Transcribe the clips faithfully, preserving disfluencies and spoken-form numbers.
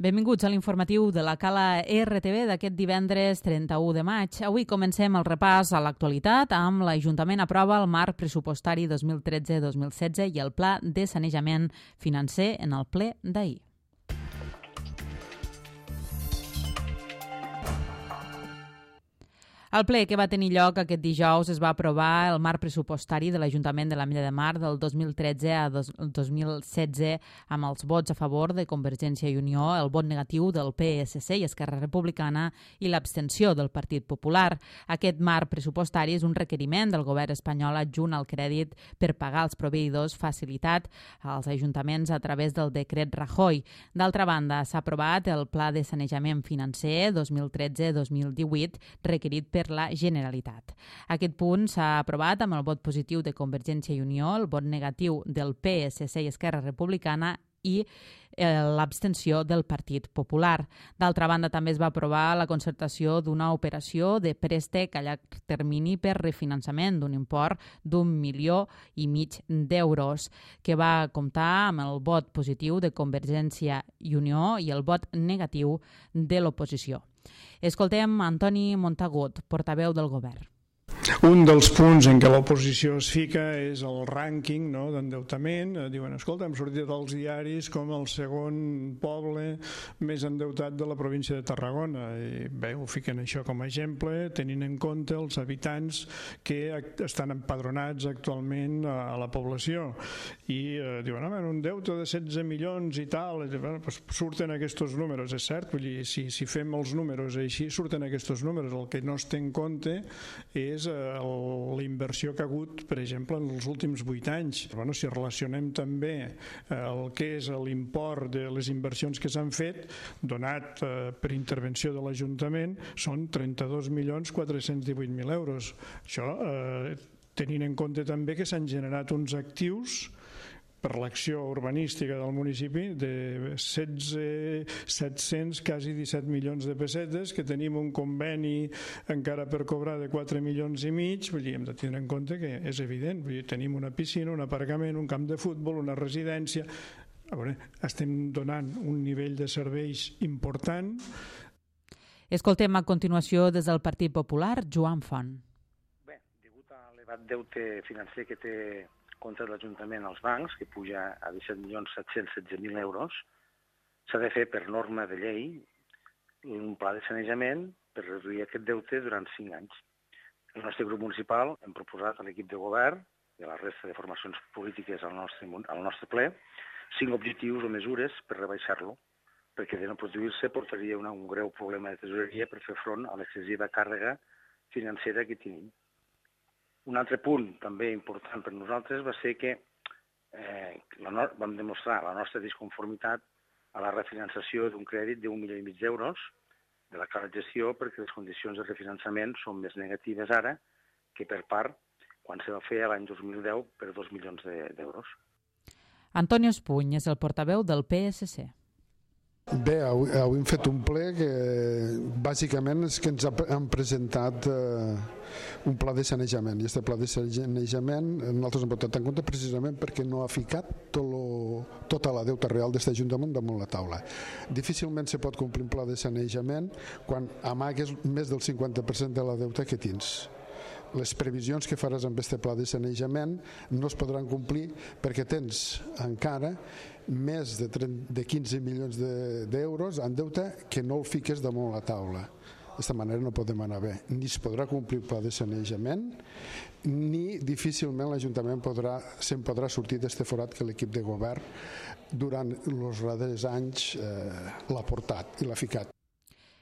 Benvinguts a l'informatiu de la Cala R T V d'aquest divendres trenta-u de maig. Avui comencem el repàs a l'actualitat amb l'Ajuntament aprova el marc pressupostari dos mil tretze dos mil setze i el pla de sanejament financer en el ple d'ahir. Al ple que va tenir lloc aquest dijous es va aprovar el marc pressupostari de l'Ajuntament de l'Ametlla de Mar del dos mil tretze a dos mil setze amb els vots a favor de Convergència i Unió, el vot negatiu del P S C i Esquerra Republicana i l'abstenció del Partit Popular. Aquest marc pressupostari és un requeriment del govern espanyol adjunt al crèdit per pagar els proveïdors facilitat als ajuntaments a través del decret Rajoy. D'altra banda, s'ha aprovat el Pla de Sanejament Financer dos mil tretze dos mil divuit requerit per la Generalitat. Aquest punt s'ha aprovat amb el vot positiu de Convergència i Unió, el vot negatiu del P S C i Esquerra Republicana i l'abstenció del Partit Popular. D'altra banda, també es va aprovar la concertació d'una operació de préstec a llarg termini per refinançament d'un import d'un milió i mig d'euros, que va comptar amb el vot positiu de Convergència i Unió i el vot negatiu de l'oposició. Escoltem Antoni Montagut, portaveu del govern. Un dels punts en què l'oposició es fica és el rànquing, no, d'endeutament. Diuen, escolta, hem sortit als diaris com el segon poble més endeutat de la província de Tarragona. I bé, ho fiquen això com a exemple, tenint en compte els habitants que estan empadronats actualment a la població. I eh, diuen, home, un deute de setze milions i tal, i, bueno, pues surten aquests números, és cert, vull dir, si, si fem els números així, surten aquests números. El que no es té en compte és la inversió que ha hagut, per exemple, en els últims vuit anys. Bueno, si relacionem també el que és l'import de les inversions que s'han fet, donat per intervenció de l'Ajuntament, són trenta-dos milions quatre-cents divuit mil euros. Això eh, tenint en compte també que s'han generat uns actius per l'acció urbanística del municipi de setze, set-cents, quasi disset milions de pessetes, que tenim un conveni encara per cobrar de quatre milions i mig. Vull dir, hem de tenir en compte que és evident. Vull dir, tenim una piscina, un aparcament, un camp de futbol, una residència. A veure, estem donant un nivell de serveis important. Escoltem a continuació des del Partit Popular, Joan Font. Bé, degut a l'elevat deute financer que té contra l'Ajuntament als bancs, que puja a disset milions set-cents setze mil euros, s'ha de fer per norma de llei un pla de sanejament per reduir aquest deute durant cinc anys. El nostre grup municipal hem proposat a l'equip de govern i a la resta de formacions polítiques al nostre, al nostre ple cinc objectius o mesures per rebaixar-lo, perquè de no produir-se portaria una, un greu problema de tesoreria per fer front a l'excessiva càrrega financera que tenim. Un altre punt també important per nosaltres va ser que eh, la no vam demostrar la nostra disconformitat a la refinançació d'un crèdit d'un milió i mig d'euros de la clara gestió, perquè les condicions de refinançament són més negatives ara que per part quan se va fer l'any dos mil deu per dos milions d'euros. Antonio Espuny és el portaveu del P S C. Bé, avui, avui hem fet un ple que bàsicament és que ens han presentat eh, un pla de sanejament, i aquest pla de sanejament nosaltres hem votat en compte precisament perquè no ha ficat tot lo, tota la deuta real d'aquest Ajuntament damunt la taula. Difícilment se pot complir un pla de sanejament quan amagues més del cinquanta per cent de la deuta que tens. Les previsions que faràs amb aquest pla de sanejament no es podran complir perquè tens encara més de, trenta, de quinze milions d'euros en deute que no el fiques damunt la taula. D'aquesta manera no podem anar bé. Ni es podrà complir el pla de sanejament, ni difícilment l'Ajuntament podrà, se'n podrà sortir d'aquest forat que l'equip de govern durant els darrers anys eh, l'ha portat i l'ha ficat.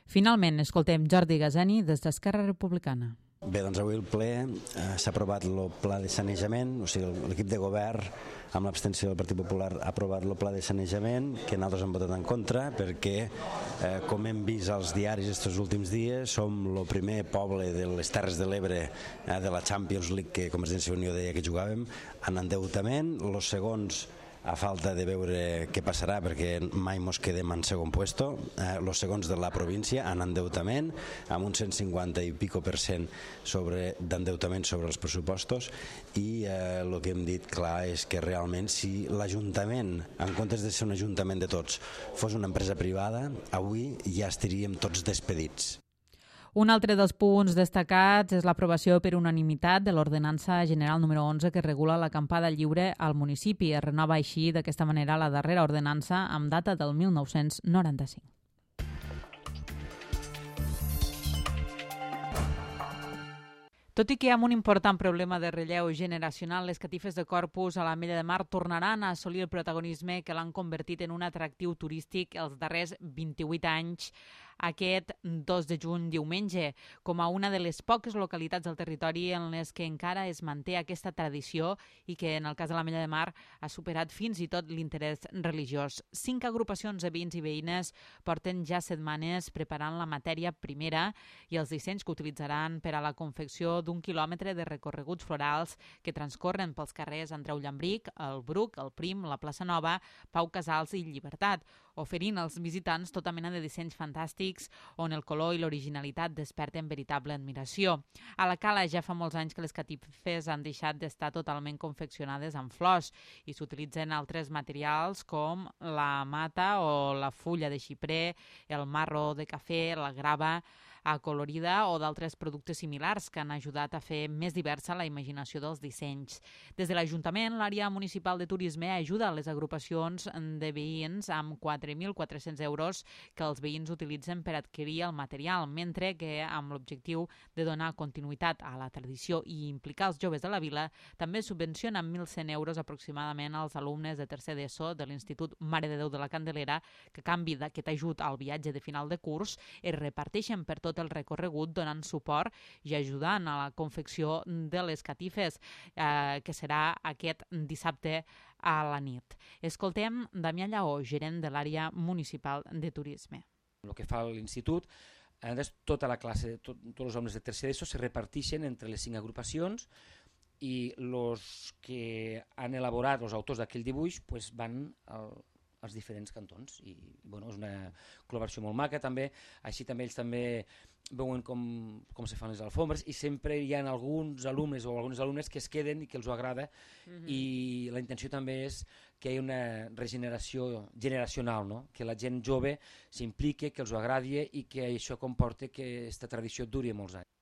Finalment, escoltem Jordi Gazani des d'Esquerra Republicana. Bé, doncs avui el ple eh, s'ha aprovat el pla de sanejament, o sigui, l'equip de govern amb l'abstenció del Partit Popular ha aprovat el pla de sanejament, que nosaltres hem votat en contra, perquè, eh, com hem vist als diaris aquests últims dies, som el primer poble de les Terres de l'Ebre eh, de la Champions League que Convergència i Unió deia que jugàvem, en endeutament, els segons a falta de veure què passarà, perquè mai mos quedem en segon puesto. Eh, los segons de la província en endeutament, amb un cent cinquanta i pico per cent sobre d'endeutament sobre els pressupostos, i eh, el que hem dit clar és que realment si l'Ajuntament, en comptes de ser un ajuntament de tots, fos una empresa privada, avui ja estaríem tots despedits. Un altre dels punts destacats és l'aprovació per unanimitat de l'Ordenança General número onze que regula l'acampada lliure al municipi. Es renova així d'aquesta manera la darrera ordenança amb data del mil nou-cents noranta-cinc. Tot i que amb un important problema de relleu generacional, les catifes de Corpus a l'Ametlla de Mar tornaran a assolir el protagonisme que l'han convertit en un atractiu turístic els darrers vint-i-vuit anys, aquest dos de juny diumenge, com a una de les poques localitats del territori en les que encara es manté aquesta tradició i que en el cas de l'Ametlla de Mar ha superat fins i tot l'interès religiós. Cinc agrupacions de veïns i veïnes porten ja setmanes preparant la matèria primera i els dissenys que utilitzaran per a la confecció d'un quilòmetre de recorreguts florals que transcorren pels carrers Andreu Llambric, el Bruc, el Prim, la Plaça Nova, Pau Casals i Llibertat, oferint als visitants tota mena de dissenys fantàstics on el color i l'originalitat desperten veritable admiració. A la Cala ja fa molts anys que les catifes han deixat d'estar totalment confeccionades amb flors i s'utilitzen altres materials com la mata o la fulla de xiprer, el marro de cafè, la grava acolorida o d'altres productes similars que han ajudat a fer més diversa la imaginació dels dissenys. Des de l'Ajuntament, l'àrea municipal de turisme ajuda les agrupacions de veïns amb quatre mil quatre-cents euros que els veïns utilitzen per adquirir el material, mentre que amb l'objectiu de donar continuïtat a la tradició i implicar els joves de la vila, també subvenciona amb mil cent euros aproximadament als alumnes de tercer d'ESO de l'Institut Mare de Déu de la Candelera, que a canvi d'aquest ajut al viatge de final de curs es reparteixen per tot tot el recorregut donant suport i ajudant a la confecció de les catifes, eh, que serà aquest dissabte a la nit. Escoltem Damià Lleó, gerent de l'àrea municipal de turisme. El que fa l'institut, tota la classe, tot, tots els alumnes de tercer d'ESO se reparteixen entre les cinc agrupacions i els que han elaborat, els autors d'aquell dibuix, pues van al als diferents cantons i bueno, és una col·laboració molt maca també, així també ells també veuen com, com se fan les alfombres i sempre hi ha alguns alumnes o algunes alumnes que es queden i que els ho agrada mm-hmm. i la intenció també és que hi hagi una regeneració generacional, no? Que la gent jove s'implique, que els ho agradi i que això comporte que aquesta tradició duri molts anys.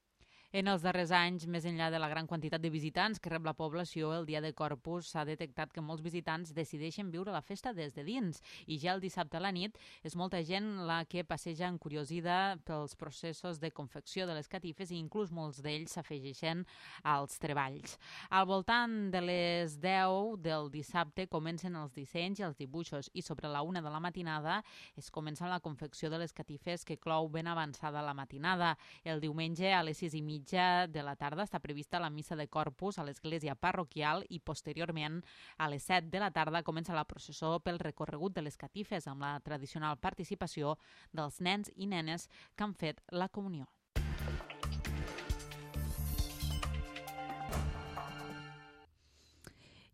En els darrers anys, més enllà de la gran quantitat de visitants que rep la població, el dia de Corpus s'ha detectat que molts visitants decideixen viure la festa des de dins i ja el dissabte a la nit és molta gent la que passeja encuriosida pels processos de confecció de les catifes i inclús molts d'ells s'afegeixen als treballs. Al voltant de les deu del dissabte comencen els dissenys i els dibuixos i sobre la una de la matinada es comença la confecció de les catifes que clou ben avançada la matinada. El diumenge a les sis i mitja de la tarda està prevista la missa de Corpus a l'església parroquial i posteriorment a les set de la tarda comença la processó pel recorregut de les catifes amb la tradicional participació dels nens i nenes que han fet la comunió.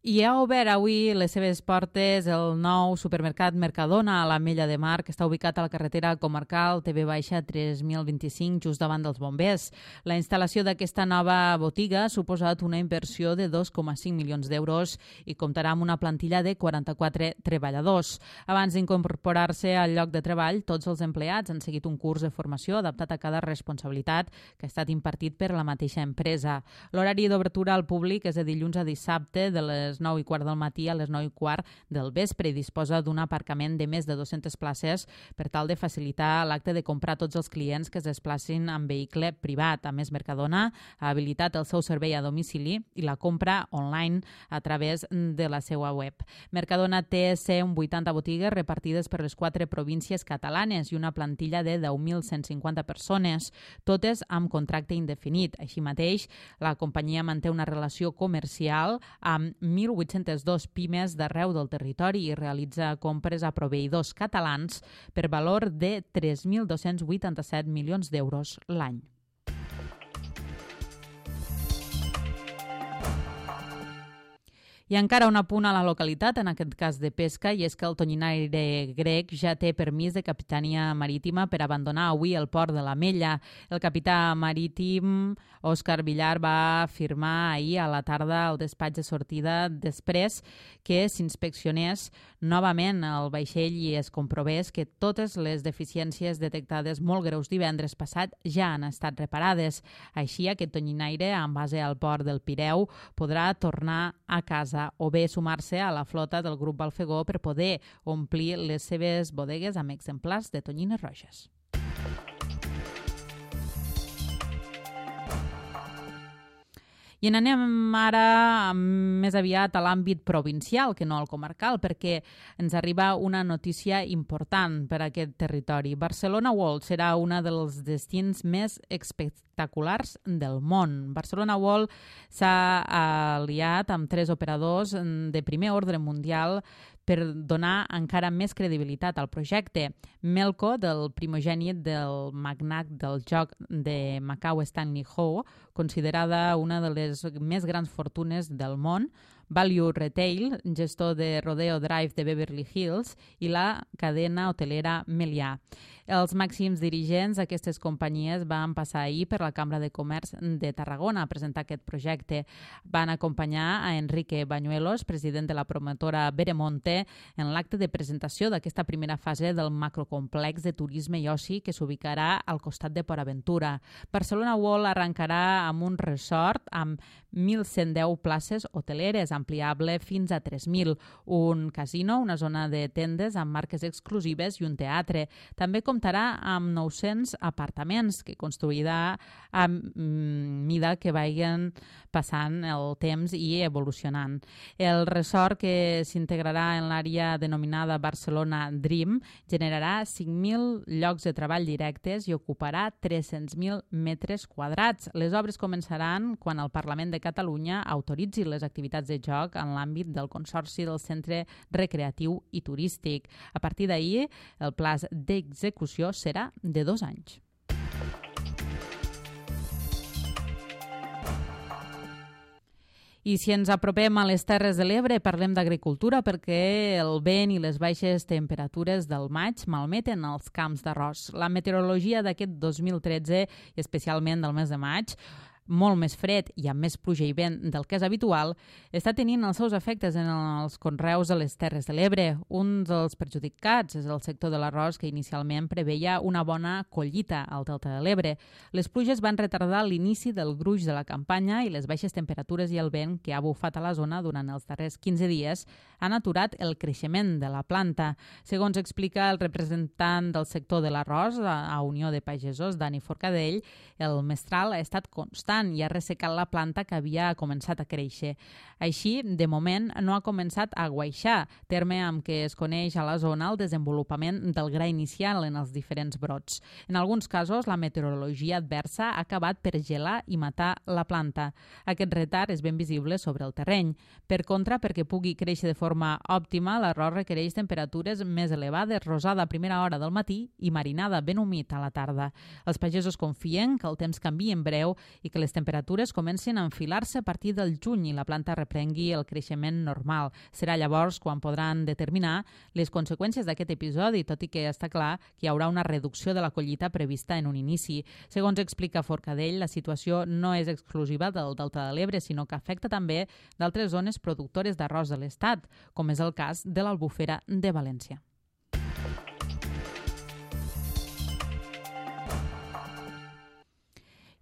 I ha obert avui les seves portes el nou supermercat Mercadona a l'Ametlla de Mar, que està ubicat a la carretera comarcal T V tres mil vint-i-cinc, just davant dels bombers. La instal·lació d'aquesta nova botiga ha suposat una inversió de dos coma cinc milions d'euros i comptarà amb una plantilla de quaranta-quatre treballadors. Abans d'incorporar-se al lloc de treball, tots els empleats han seguit un curs de formació adaptat a cada responsabilitat que ha estat impartit per la mateixa empresa. L'horari d'obertura al públic és de dilluns a dissabte de les nou i quart del matí a les nou i quart del vespre i disposa d'un aparcament de més de dues-centes places per tal de facilitar l'acte de comprar tots els clients que es desplacin en vehicle privat. A més, Mercadona ha habilitat el seu servei a domicili i la compra online a través de la seva web. Mercadona té cent vuitanta botigues repartides per les quatre províncies catalanes i una plantilla de deu mil cent cinquanta persones, totes amb contracte indefinit. Així mateix, la companyia manté una relació comercial amb mil vuit-cents dos pimes d'arreu del territori i realitza compres a proveïdors catalans per valor de tres mil dos-cents vuitanta-set milions d'euros l'any. I encara un apunt a la localitat, en aquest cas de pesca, i és que el tonyinaire grec ja té permís de capitania marítima per abandonar avui el port de l'Ametlla. El capità marítim Òscar Villar va afirmar ahir a la tarda al despatx de sortida després que s'inspeccionés novament el vaixell i es comprovés que totes les deficiències detectades molt greus divendres passat ja han estat reparades. Així, aquest tonyinaire, amb base al port del Pireu, podrà tornar a casa o bé sumar-se a la flota del grup Balfegó per poder omplir les seves bodegues amb exemplars de tonyines roges. I anem ara més aviat a l'àmbit provincial que no al comarcal, perquè ens arriba una notícia important per a aquest territori. Barcelona World serà un dels destins més espectaculars del món. Barcelona World s'ha aliat amb tres operadors de primer ordre mundial per donar encara més credibilitat al projecte. Melco, del primogènit del magnat del joc de Macau Stanley Ho, considerada una de les més grans fortunes del món, Value Retail, gestor de Rodeo Drive de Beverly Hills, i la cadena hotelera Meliá. Els màxims dirigents d'aquestes companyies van passar ahir per la Cambra de Comerç de Tarragona a presentar aquest projecte. Van acompanyar a Enrique Bañuelos, president de la promotora Veremonte, en l'acte de presentació d'aquesta primera fase del macrocomplex de turisme i oci que s'ubicarà al costat de Port Aventura. Barcelona World arrencarà amb un resort amb mil cent deu places hoteleres, ampliable fins a tres mil, un casino, una zona de tendes amb marques exclusives i un teatre. També comptarà amb nou-cents apartaments que construirà a mida que vagin passant el temps i evolucionant. El resort, que s'integrarà en l'àrea denominada Barcelona Dream, generarà cinc mil llocs de treball directes i ocuparà tres-cents mil metres quadrats. Les obres començaran quan el Parlament de Catalunya autoritzi les activitats de joc en l'àmbit del Consorci del Centre Recreatiu i Turístic. A partir d'ahir, el pla d'execució serà de dos anys. I si ens apropem a les Terres de l'Ebre, parlem d'agricultura, perquè el vent i les baixes temperatures del maig malmeten els camps d'arròs. La meteorologia d'aquest dos mil tretze, especialment del mes de maig, molt més fred i amb més pluja i vent del que és habitual, està tenint els seus efectes en els conreus de les Terres de l'Ebre. Un dels perjudicats és el sector de l'arròs, que inicialment preveia una bona collita al Delta de l'Ebre. Les pluges van retardar l'inici del gruix de la campanya i les baixes temperatures i el vent que ha bufat a la zona durant els darrers quinze dies han aturat el creixement de la planta. Segons explica el representant del sector de l'arròs a Unió de Pagesos, Dani Forcadell, el mestral ha estat constant i ha ressecat la planta que havia començat a créixer. Així, de moment, no ha començat a guaixar, terme amb què es coneix a la zona el desenvolupament del gra inicial en els diferents brots. En alguns casos, la meteorologia adversa ha acabat per gelar i matar la planta. Aquest retard és ben visible sobre el terreny. Per contra, perquè pugui créixer de forma òptima, l'arròs requereix temperatures més elevades, rosada a primera hora del matí i marinada ben humit a la tarda. Els pagesos confien que el temps canviï en breu i que les temperatures comencin a enfilar-se a partir del juny i la planta reprengui el creixement normal. Serà llavors quan podran determinar les conseqüències d'aquest episodi, tot i que està clar que hi haurà una reducció de la collita prevista en un inici. Segons explica Forcadell, la situació no és exclusiva del Delta de l'Ebre, sinó que afecta també d'altres zones productores d'arròs de l'Estat, com és el cas de l'Albufera de València.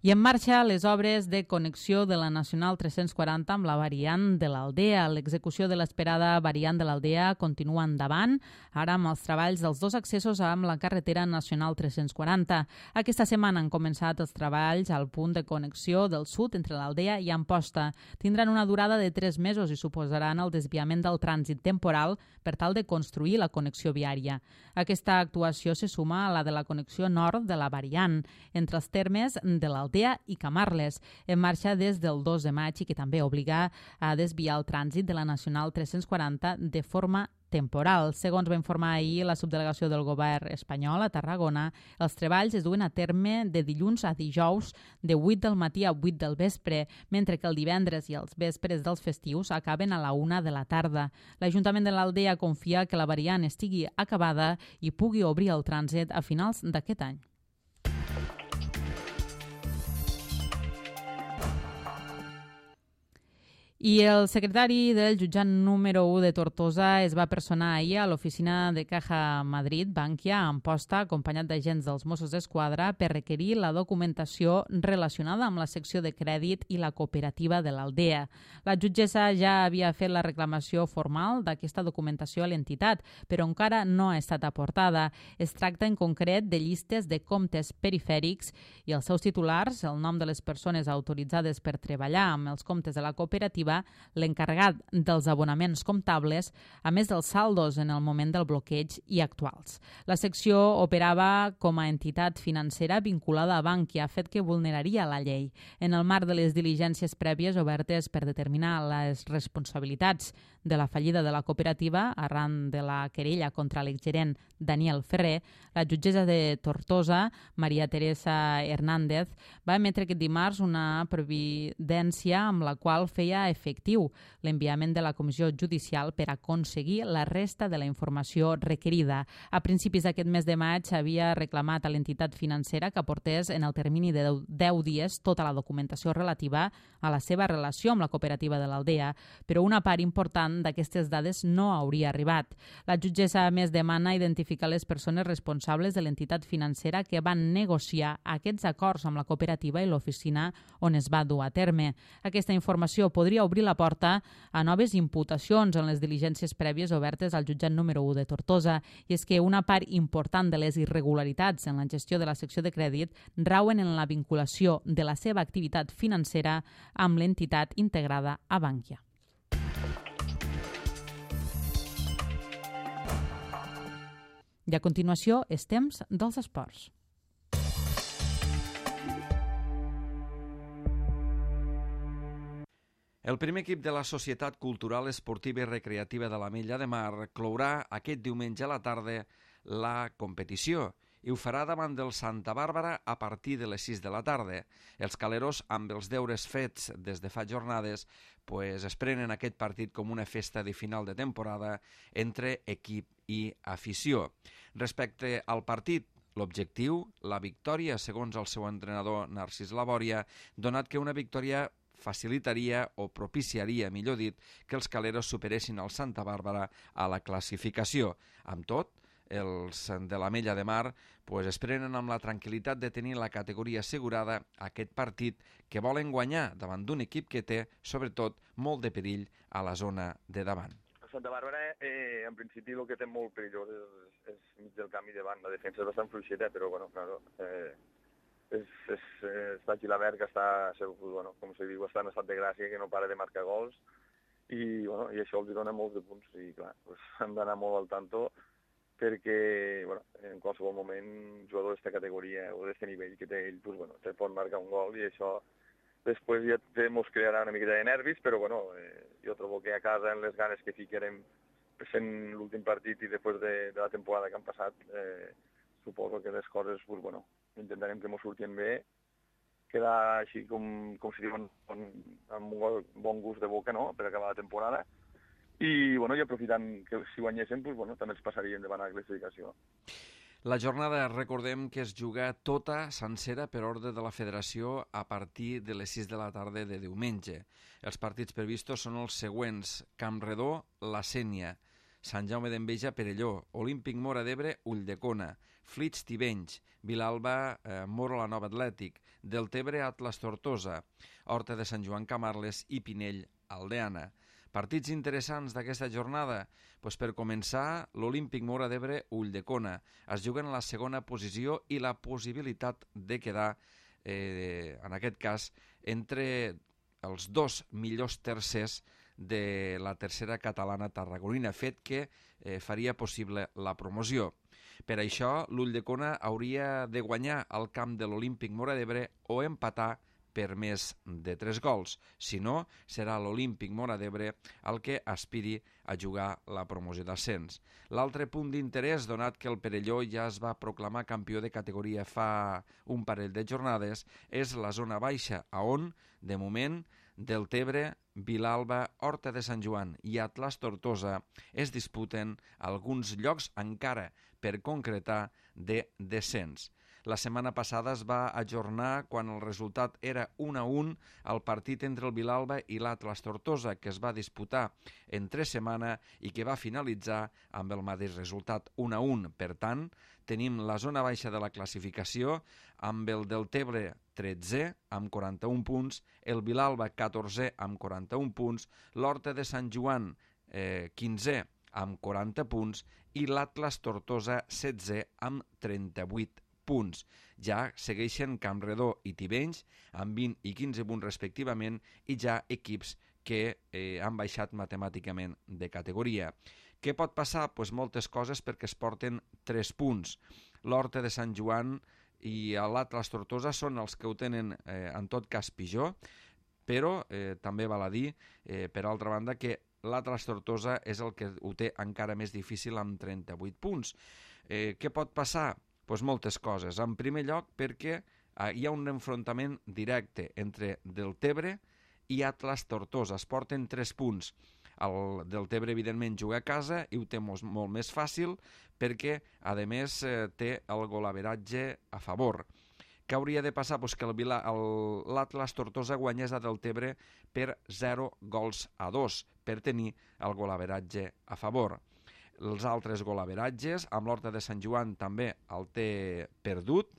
I en marxa les obres de connexió de la Nacional tres-cents quaranta amb la variant de l'Aldea. L'execució de l'esperada variant de l'Aldea continua endavant, ara amb els treballs dels dos accessos amb la carretera Nacional tres-cents quaranta. Aquesta setmana han començat els treballs al punt de connexió del sud entre l'Aldea i Amposta. Tindran una durada de tres mesos i suposaran el desviament del trànsit temporal per tal de construir la connexió viària. Aquesta actuació se suma a la de la connexió nord de la variant, entre els termes de l'Aldea i Camarles, en marxa des del dos de maig i que també obliga a desviar el trànsit de la Nacional tres-cents quaranta de forma temporal. Segons va informar ahir la subdelegació del govern espanyol a Tarragona, els treballs es duen a terme de dilluns a dijous de vuit del matí a vuit del vespre, mentre que el divendres i els vespres dels festius acaben a la una de la tarda. L'Ajuntament de l'Aldea confia que la variant estigui acabada i pugui obrir el trànsit a finals d'aquest any. I el secretari del jutjat número u de Tortosa es va personar ahir a l'oficina de Caja Madrid, Bankia, a Amposta, acompanyat d'agents dels Mossos d'Esquadra, per requerir la documentació relacionada amb la secció de crèdit i la cooperativa de l'Aldea. La jutgessa ja havia fet la reclamació formal d'aquesta documentació a l'entitat, però encara no ha estat aportada. Es tracta en concret de llistes de comptes perifèrics i els seus titulars, el nom de les persones autoritzades per treballar amb els comptes de la cooperativa, l'encarregat dels abonaments comptables, a més dels saldos en el moment del bloqueig i actuals. La secció operava com a entitat financera vinculada a Bankia, fet que vulneraria la llei. En el marc de les diligències prèvies obertes per determinar les responsabilitats de la fallida de la cooperativa, arran de la querella contra l'exgerent Daniel Ferrer, la jutgessa de Tortosa, Maria Teresa Hernández, va emetre aquest dimarts una providència amb la qual feia efectiu l'enviament de la comissió judicial per aconseguir la resta de la informació requerida. A principis d'aquest mes de maig havia reclamat a l'entitat financera que aportés en el termini de deu dies tota la documentació relativa a la seva relació amb la cooperativa de l'Aldea, però una part important d'aquestes dades no hauria arribat. La jutgessa, a més, demana identificar les persones responsables de l'entitat financera que van negociar aquests acords amb la cooperativa i l'oficina on es va dur a terme. Aquesta informació podria obrir la porta a noves imputacions en les diligències prèvies obertes al jutjat número u de Tortosa, i és que una part important de les irregularitats en la gestió de la secció de crèdit rauen en la vinculació de la seva activitat financera amb l'entitat integrada a Bankia. I a continuació és temps dels esports. El primer equip de la Societat Cultural, Esportiva i Recreativa de l'Ametlla de Mar clourà aquest diumenge a la tarda la competició i ho farà davant del Santa Bàrbara a partir de les sis de la tarda. Els caleros, amb els deures fets des de fa jornades, pues, es prenen aquest partit com una festa de final de temporada entre equip i afició. Respecte al partit, l'objectiu, la victòria, segons el seu entrenador Narcís Labòria, donat que una victòria facilitaria o propiciaria, millor dit, que els caleros superessin el Santa Bàrbara a la classificació. Amb tot, els de l'Ametlla de Mar pues, es prenen amb la tranquil·litat de tenir la categoria assegurada aquest partit que volen guanyar davant d'un equip que té, sobretot, molt de perill a la zona de davant. Santa Bàrbara, eh, en principi, el que té molt perillós és, és mig del camí davant. La defensa és bastant fluixeta, però, bueno, claro, eh, és, és, està Gilabert, que està, bueno, com se diu, està en estat de gràcia, que no para de marcar gols, i, bueno, i això els dona molts de punts. I, clar, pues, hem d'anar molt al tanto, perquè bueno, en qualsevol moment un jugador d'aquesta categoria o d'aquest nivell que té ell, pues, bueno, te pot marcar un gol i això després ja ens crearà una miqueta de nervis, però bueno, eh, jo trobo que a casa, en les ganes que ficarem fent l'últim partit i després de, de la temporada que han passat, eh, suposo que les coses, pues, bueno, intentarem que ens surtin bé, quedar així com, com si diuen, amb un bon gust de boca, no?, per acabar la temporada. I, bueno, i aprofitant que si guanyéssim, pues, bueno, també ens passaríem davant a la classificació. La jornada, recordem que es juga tota sencera per ordre de la federació a partir de les sis de la tarda de diumenge. Els partits previstos són els següents: Campredó, La Sénia, Sant Jaume d'Enveja, Perelló, Olímpic Móra d'Ebre, Ulldecona, Flix, Tivenys, Vilalba, eh, Moro, la Nova Atlètic, Deltebre, Atlas, Tortosa, Horta de Sant Joan, Camarles i Pinell, Aldeana. Partits interessants d'aquesta jornada? Pues per començar, l'Olímpic Móra d'Ebre, Ulldecona. Es juguen a la segona posició i la possibilitat de quedar, eh, en aquest cas, entre els dos millors tercers de la tercera catalana tarragonina, fet que eh, faria possible la promoció. Per això, l'Ulldecona hauria de guanyar al camp de l'Olímpic Móra d'Ebre o empatar per més de tres gols. Si no, serà l'Olímpic Móra d'Ebre el que aspiri a jugar la promoció d'ascens. L'altre punt d'interès, donat que el Perelló ja es va proclamar campió de categoria fa un parell de jornades, és la zona baixa, on, de moment, Deltebre, Vilalba, Horta de Sant Joan i Atlas Tortosa es disputen alguns llocs encara per concretar de descens. La setmana passada es va ajornar quan el resultat era un a un el partit entre el Vilalba i l'Atlas Tortosa, que es va disputar entre setmana i que va finalitzar amb el mateix resultat un a un. Per tant, tenim la zona baixa de la classificació amb el Deltebre tretze amb quaranta-un punts, el Vilalba catorzè amb quaranta-un punts, l'Horta de Sant Joan eh, quinzè amb quaranta punts i l'Atlas Tortosa setzè amb trenta-vuit punts. Ja segueixen Campredó i Tivenys amb vint i quinze punts respectivament i ja equips que eh, han baixat matemàticament de categoria. Què pot passar? Pues moltes coses, perquè es porten tres punts. L'Horta de Sant Joan i l'Atlas Tortosa són els que ho tenen eh, en tot cas pitjor, però eh, també val a dir, eh, per altra banda, que l'Atlas Tortosa és el que ho té encara més difícil amb trenta-vuit punts. Eh, què pot passar? Pues moltes coses. En primer lloc, perquè eh, hi ha un enfrontament directe entre Deltebre i Atlas Tortosa. Es porten tres punts. El Deltebre, evidentment, juga a casa i ho té molt, molt més fàcil perquè, a més, eh, té el golaveratge a favor. Què hauria de passar? Pues que l'Atlas Tortosa guanyés a Deltebre per zero gols a dos per tenir el golaveratge a favor. Els altres golaveratges, amb l'Horta de Sant Joan també el té perdut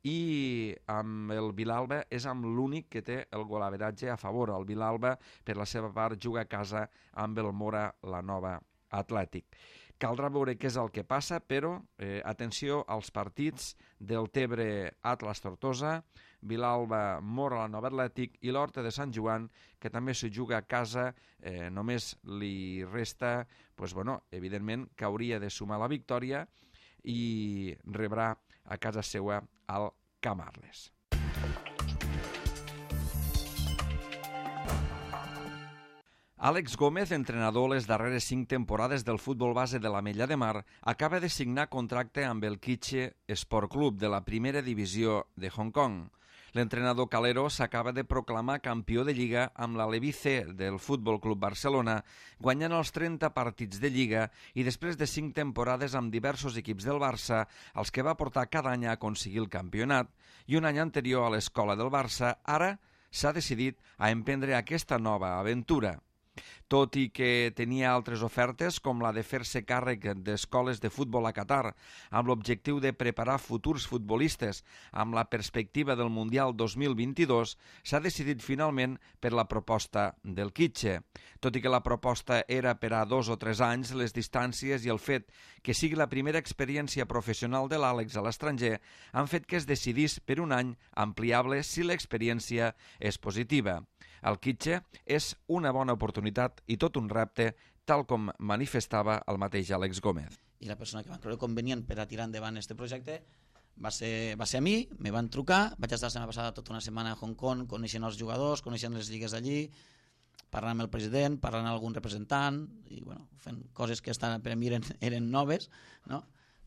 i amb el Vilalba és amb l'únic que té el golaveratge a favor. El Vilalba, per la seva part, juga a casa amb el Móra la Nova Atlètic. Caldrà veure què és el que passa, però eh, atenció als partits del Deltebre Atlas Tortosa, Vilalba Móra la Nova Atlètic i l'Horta de Sant Joan, que també s'hi juga a casa. Eh, només li resta, pues, bueno, evidentment, que hauria de sumar la victòria i rebrà a casa seva al Camp Arles. Àlex Gómez, entrenador les darreres cinc temporades del futbol base de l'Ametlla de Mar, acaba de signar contracte amb el Kitche Sport Club de la primera divisió de Hong Kong. L'entrenador calero s'acaba de proclamar campió de Lliga amb la Levi C del Futbol Club Barcelona, guanyant els trenta partits de Lliga i després de cinc temporades amb diversos equips del Barça, els que va portar cada any a aconseguir el campionat, i un any anterior a l'escola del Barça, ara s'ha decidit a emprendre aquesta nova aventura. Tot i que tenia altres ofertes, com la de fer-se càrrec d'escoles de futbol a Qatar, amb l'objectiu de preparar futurs futbolistes amb la perspectiva del Mundial dos mil vint-i-dos, s'ha decidit finalment per la proposta del Kitche. Tot i que la proposta era per a dos o tres anys, les distàncies i el fet que sigui la primera experiència professional de l'Àlex a l'estranger han fet que es decidís per un any ampliable si l'experiència és positiva. El Kitche és una bona oportunitat i tot un repte, tal com manifestava el mateix Àlex Gómez. I la persona que va creure convenient per a tirar endavant aquest projecte va ser, va ser a mi, me van trucar, vaig estar la setmana passada tota una setmana a Hong Kong, coneixent els jugadors, coneixent les lligues d'allí, parlant amb el president, parlant amb algun representant, i bueno, fent coses que estan, per a mi eren, eren noves, no?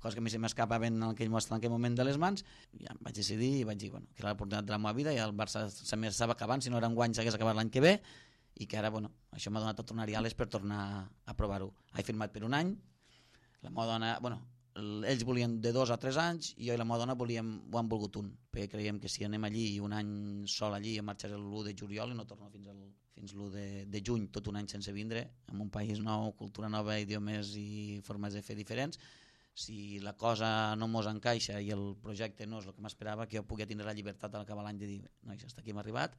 Coses que a mi se m'escapaven en aquell, en aquell moment de les mans, i ja em vaig decidir i vaig dir bueno, que era l'oportunitat de la meva vida i el Barça s'estava acabant, si no era enguany s'hagués acabat l'any que ve, i que ara bueno, això m'ha donat tot un ariales per tornar a provar-ho. He firmat per un any, la meva dona, bueno, ells volien de dos a tres anys i jo i la meva dona volíem, ho han volgut un, perquè creiem que si anem allí un any sol allí em marxaré l'u de juliol i no torno fins, al, fins l'u de, de juny, tot un any sense vindre, en un país nou, cultura nova, idiomes i formes de fer diferents. Si la cosa no mos encaixa i el projecte no és el que m'esperava, que jo pugui tindre la llibertat a l'acabar l'any de dir nois, hasta aquí hem arribat,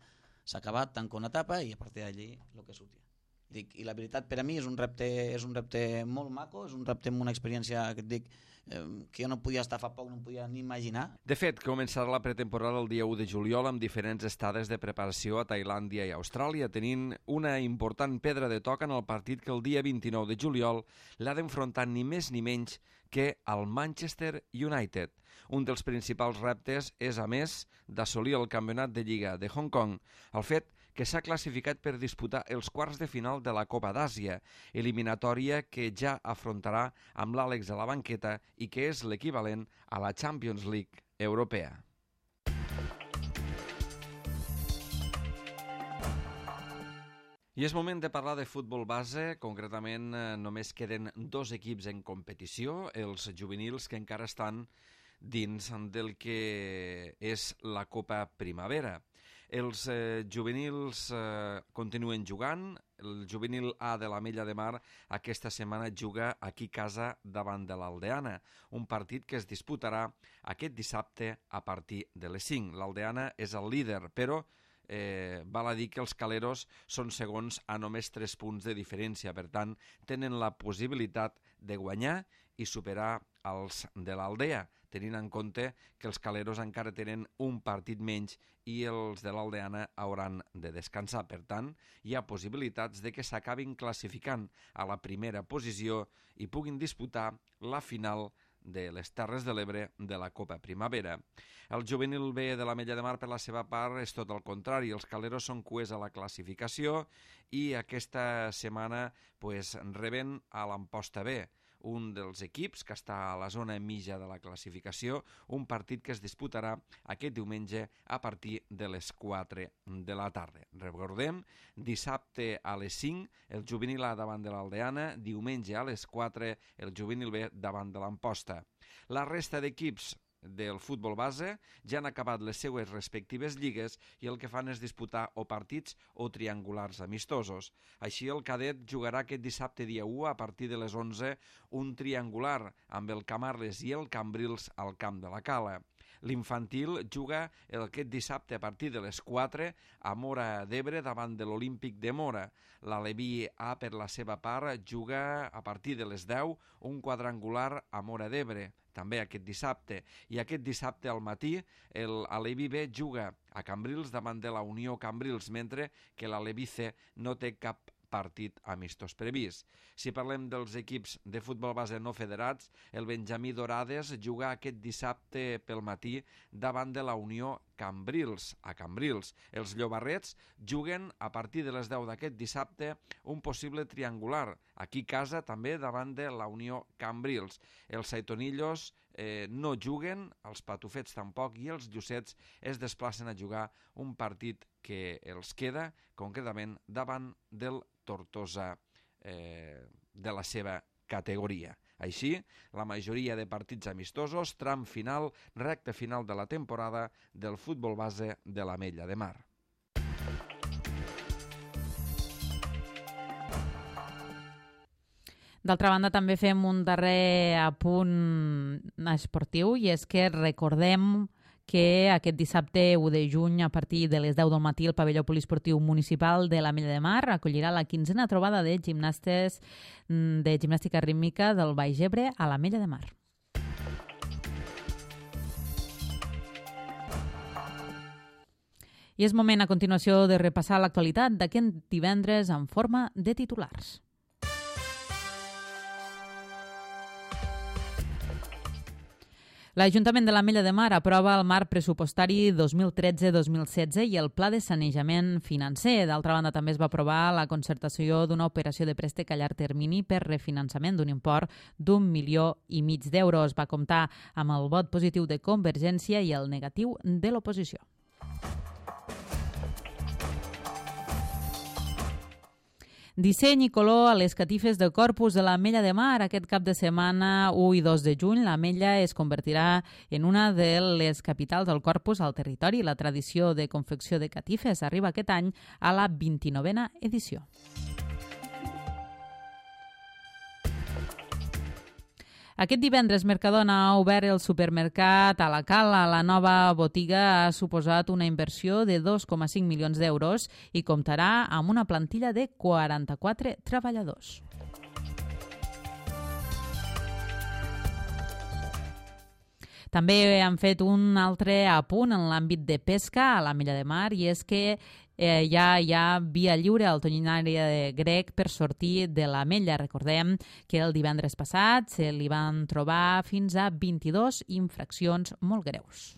s'ha acabat, tanco una etapa i a partir d'allí el que surti. Dic, i la veritat, per a mi és un repte, és un repte molt maco, és un repte amb una experiència que et dic eh, que jo no podia estar fa poc, no em podia ni imaginar. De fet, començarà la pretemporada el dia u de juliol amb diferents estades de preparació a Tailàndia i Austràlia, tenint una important pedra de toc en el partit que el dia vint-i-nou de juliol l'ha d'enfrontar ni més ni menys que el Manchester United. Un dels principals reptes és, a més, d'assolir el campionat de Lliga de Hong Kong, el fet que s'ha classificat per disputar els quarts de final de la Copa d'Àsia, eliminatòria que ja afrontarà amb l'Àlex a la banqueta i que és l'equivalent a la Champions League europea. I és moment de parlar de futbol base, concretament eh, només queden dos equips en competició, els juvenils que encara estan dins del que és la Copa Primavera. Els eh, juvenils eh, continuen jugant. El juvenil A de l'Ametlla de Mar aquesta setmana juga aquí a casa davant de l'Aldeana, un partit que es disputarà aquest dissabte a partir de les cinc. L'Aldeana és el líder, però eh, val a dir que els caleros són segons a només tres punts de diferència, per tant tenen la possibilitat de guanyar i superar els de l'Aldea, tenint en compte que els caleros encara tenen un partit menys i els de l'Aldeana hauran de descansar. Per tant, hi ha possibilitats de que s'acabin classificant a la primera posició i puguin disputar la final de les Terres de l'Ebre de la Copa Primavera. El juvenil B de l'Ametlla de Mar, per la seva part, és tot el contrari. Els caleros són cuers a la classificació i aquesta setmana pues, reben a l'Amposta B, un dels equips que està a la zona mitja de la classificació, un partit que es disputarà aquest diumenge a partir de les quatre de la tarda. Recordem, dissabte a les cinc el juvenil A davant de l'Aldeana, diumenge a les quatre el juvenil B davant de l'Amposta. La resta d'equips del futbol base ja han acabat les seues respectives lligues i el que fan és disputar o partits o triangulars amistosos. Així el cadet jugarà aquest dissabte dia u a partir de les onze un triangular amb el Camarles i el Cambrils al camp de la Cala. L'infantil juga aquest dissabte a partir de les quatre a Móra d'Ebre davant de l'Olímpic de Móra. L'Aleví A, per la seva part, juga a partir de les deu un quadrangular a Móra d'Ebre, també aquest dissabte. I aquest dissabte al matí l'Aleví B juga a Cambrils davant de la Unió Cambrils, mentre que l'Aleví C no té cap partit amistós previst. Si parlem dels equips de futbol base no federats, el Benjamí Dorades juga aquest dissabte pel matí davant de la Unió Cambrils, a Cambrils. Els Llobarrets juguen a partir de les deu d'aquest dissabte un possible triangular, aquí a casa també davant de la Unió Cambrils. Els Saitonillos eh, no juguen, els Patufets tampoc, i els Llucets es desplacen a jugar un partit que els queda concretament davant del Tortosa eh, de la seva categoria. Així, la majoria de partits amistosos, tram final, recta final de la temporada del futbol base de l'Ametlla de Mar. D'altra banda, també fem un darrer apunt esportiu i és que recordem que aquest dissabte u de juny a partir de les deu del matí el pavelló poliesportiu municipal de l'Ametlla de Mar acollirà la quinzena trobada de gimnastes de gimnàstica rítmica del Baix Ebre a l'Ametlla de Mar. I és moment a continuació de repassar l'actualitat d'aquest divendres en forma de titulars. L'Ajuntament de l'Ametlla de Mar aprova el marc pressupostari dos mil tretze dos mil setze i el pla de sanejament financer. D'altra banda, també es va aprovar la concertació d'una operació de préstec a llarg termini per refinançament d'un import d'un milió i mig d'euros. Va comptar amb el vot positiu de Convergència i el negatiu de l'oposició. Disseny i color a les catifes de Corpus de l'Ametlla de Mar. Aquest cap de setmana u i dos de juny l'Ametlla es convertirà en una de les capitals del Corpus al territori. La tradició de confecció de catifes arriba aquest any a la vint-i-novena edició. Aquest divendres Mercadona ha obert el supermercat a la Cala. La nova botiga ha suposat una inversió de dos coma cinc milions d'euros i comptarà amb una plantilla de quaranta-quatre treballadors. També han fet un altre apunt en l'àmbit de pesca a l'Ametlla de Mar, i és que eh, ja hi ha via lliure al tonyinari grec per sortir de l'Ametlla. Recordem que el divendres passat se li van trobar fins a vint-i-dos infraccions molt greus.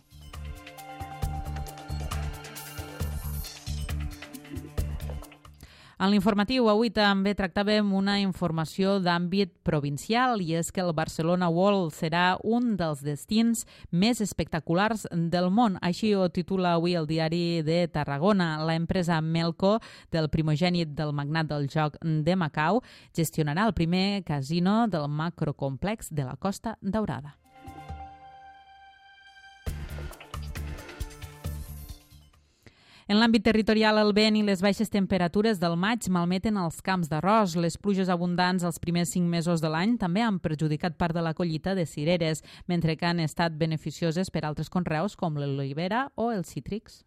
En l'informatiu avui també tractàvem una informació d'àmbit provincial, i és que el Barcelona World serà un dels destins més espectaculars del món. Així ho titula avui el diari de Tarragona. La empresa Melco, del primogènit del magnat del joc de Macau, gestionarà el primer casino del macrocomplex de la Costa Daurada. En l'àmbit territorial, el vent i les baixes temperatures del maig malmeten els camps d'arròs. Les pluges abundants els primers cinc mesos de l'any també han perjudicat part de la collita de cireres, mentre que han estat beneficioses per altres conreus com l'olivera o els cítrics.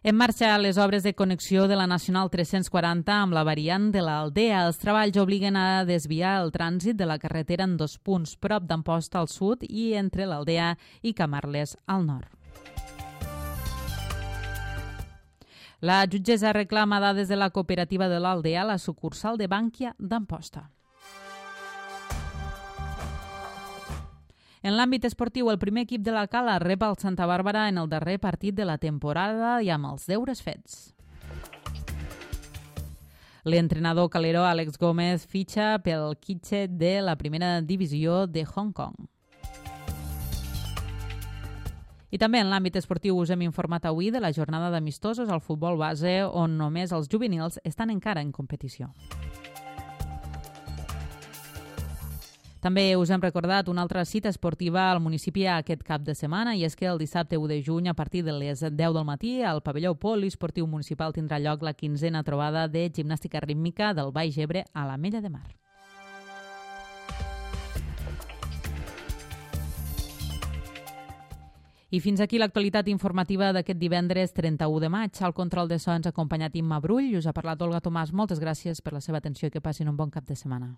En marxa les obres de connexió de la Nacional tres-cents quaranta amb la variant de l'Aldea. Els treballs obliguen a desviar el trànsit de la carretera en dos punts, prop d'Amposta al sud i entre l'Aldea i Camarles al nord. La jutgessa reclama dades de la cooperativa de l'Aldea a la sucursal de Bànquia d'Amposta. En l'àmbit esportiu, el primer equip de la Cala rep el Santa Bàrbara en el darrer partit de la temporada i amb els deures fets. L'entrenador calero Àlex Gómez fitxa pel Kitche de la primera divisió de Hong Kong. I també en l'àmbit esportiu us hem informat avui de la jornada d'amistosos al futbol base, on només els juvenils estan encara en competició. També us hem recordat una altra cita esportiva al municipi aquest cap de setmana, i és que el dissabte u de juny, a partir de les deu del matí, al pavelló poliesportiu municipal tindrà lloc la quinzena trobada de gimnàstica rítmica del Baix Ebre a l'Ametlla de Mar. I fins aquí l'actualitat informativa d'aquest divendres trenta-u de maig. Al control de so ens ha acompanyat Imma Brull i us ha parlat Olga Tomàs. Moltes gràcies per la seva atenció i que passin un bon cap de setmana.